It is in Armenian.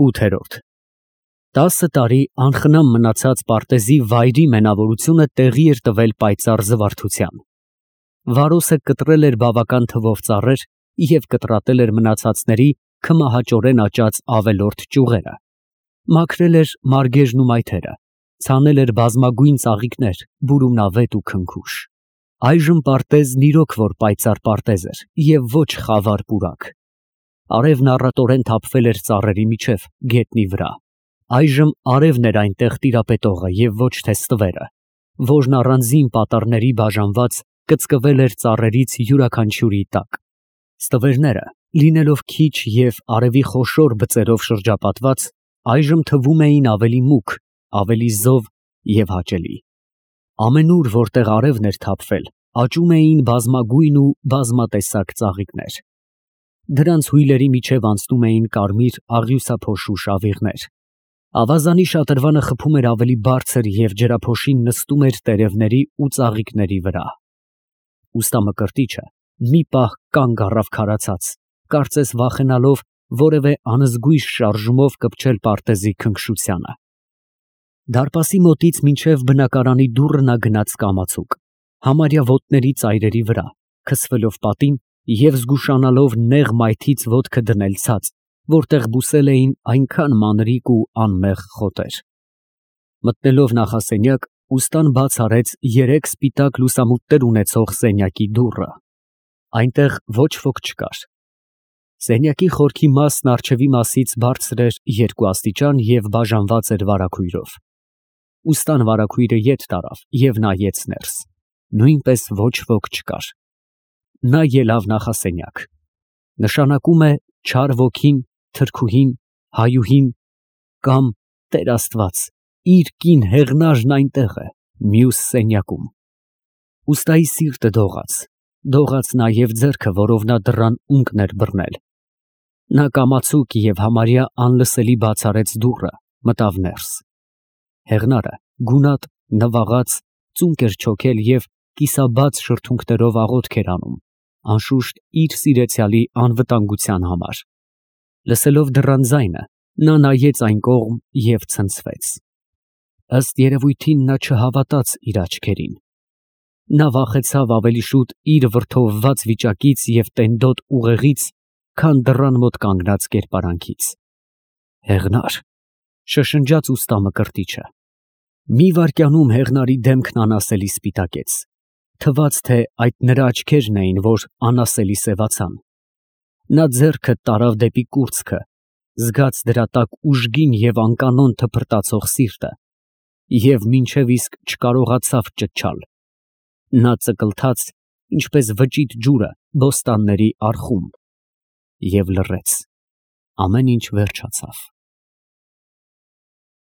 8-րդ 10 տարի անխնամ մնացած պարտեզի վայրի մենավորությունը տեղի էր տվել պայծառ զվարթության։ Վարոսը կտրել էր բավական թվով ծառեր և կտրատել էր մնացածների քմահաճորեն աճած ավելորդ ճյուղերը, մաքրել էր մարգեժն ու մայթերը, ցանել էր բազմագույն ծաղիկներ, բուրումնավետ ու քնքուշ։ Այժմ պարտեզն իրոք որ պայծառ պարտեզ էր և ոչ խավար պուրակ։ Արևն առատորեն թափվել էր ծառերի միջև, գետնի վրա։ Այժմ արևն էր այնտեղ տիրապետողը և ոչ թե ստվերը, որն առանձին պատառների բաժանված կծկվել էր ծառերից յուրաքանչյուրի տակ։ Ստվերները, լինելով քիչ և արևի խոշոր բծերով շրջապատված, այժմ թվում էին ավելի մուգ, ավելի զով և հաճելի։ Ամենուր, որտեղ արևն էր թափվել, աճում էին բազմագույն ու բազմատեսակ ծաղիկներ։ Դրանց հույլերի միջև անցնում էին կարմիր աղյուսափոշու շավիղներ։ Ավազանի շատրվանը խփում էր ավելի բարձր և ջրափոշին նստում էր տերևների ու ծաղիկների վրա։ Ուստամկրտիչը մի պահ կանգ առավ քարացած, կարծես վախենալով որևէ անզգույշ շարժումով կպչել պարտեզի քնքշությանը։ Դարպասի մոտից մինչև բնակարանի դուռը նա գնաց կամացուկ, համարյա ոտների ծայրերի վրա, քսվելով պատին և զգուշանալով նեղ մայթից ոտքը դնել ցած, որտեղ բուսել էին այնքան մանրիկ ու անմեղ խոտեր։ Մտնելով նախասենյակ, ուստան բաց արեց երեք սպիտակ լուսամուտներ ունեցող սենյակի դուռը։ Այնտեղ ոչ ոք չկար։ Սենյակի խորքի մասն առջևի մասից բարձր էր երկու աստիճան և բաժանված էր վարագույրով։ Ուստան վարագույրը ետ տարավ և նայեց ներս։ Նույնպես ոչ ոք չկար։ Նա ելավ նախասենյակ։ Նշանակում է չար ոգին, թրքուհին, հայուհին կամ, Տեր Աստված, իր կին Հեղնաժն այնտեղ է, մյուս սենյակում։ Ուստայի սիրտը դողաց նաև ձեռքը, որով նա դռան ունկն էր բռնել։ Նա կամացուկ և համարյա անլսելի բաց արեց դուռը, մտավ ներս։ Հեղնարը գունատ, նվաղած, ծունկ էր չոքել և կիսաբաց շրթունքներով աղոթք էր անում, անշուշտ իր սիրեցյալի անվտանգության համար։ Լսելով դռան ձայնը, նա նայեց այն կողմ և ցնցվեց։ Ըստ երևույթին նա չհավատաց իր աչքերին։ Նա վախեցավ ավելի շուտ իր վրդովված վիճակից և տենդոտ ուղեղից, քան դռան մոտ կանգնած կերպարանքից։ Հեղնա՛ր, շշնջաց ուստամկրտիչը։ Մի վայրկյանում Հեղնարի դեմքն անասելի սպիտակեց։ Թվաց, թե այդ նրա աչքերն էին, որ անասելի սևացան։ Նա ձեռքը տարավ դեպի կուրծքը, զգաց դրա տակ ուժգին և անկանոն թփրտացող սիրտը և մինչև իսկ չկարողացավ ճչալ։ Նա ծկլթաց, ինչպես վճիտ ջուրը բոստանների առխում, և լռեց։ Ամեն ինչ վերջացավ։